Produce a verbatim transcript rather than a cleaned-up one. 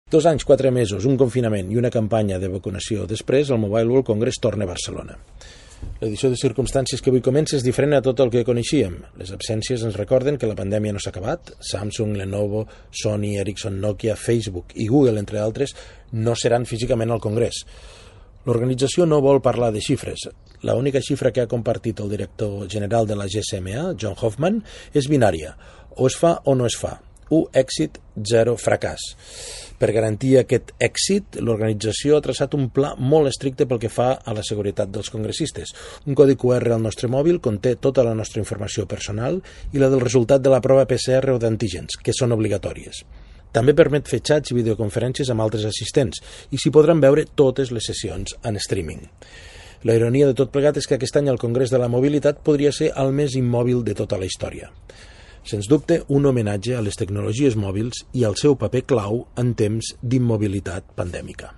Dos anys, quatre mesos, un confinament i una campanya de vacunació després, el Mobile World Congress torna a Barcelona. L'edició de circumstàncies que avui comença és diferent a tot el que coneixíem. Les absències ens recorden que la pandèmia no s'ha acabat. Samsung, Lenovo, Sony, Ericsson, Nokia, Facebook i Google, entre altres, no seran físicament al Congrés. L'organització no vol parlar de xifres. L'única xifra que ha compartit el director general de la G S M A, John Hoffman, és binària. O es fa o no es fa. U èxit, zero fracàs. Per garantir aquest èxit, l'organització ha traçat un pla molt estricte pel que fa a la seguretat dels congressistes. Un codi Q R al nostre mòbil conté tota la nostra informació personal i la del resultat de la prova P C R o d'antígens, que són obligatòries. També permet fer xats i videoconferències amb altres assistents i s'hi podran veure totes les sessions en streaming. La ironia de tot plegat és que aquest any el Congrés de la Mobilitat podria ser el més immòbil de tota la història. Sens dubte, un homenatge a les tecnologies mòbils i al seu paper clau en temps d'immobilitat pandèmica.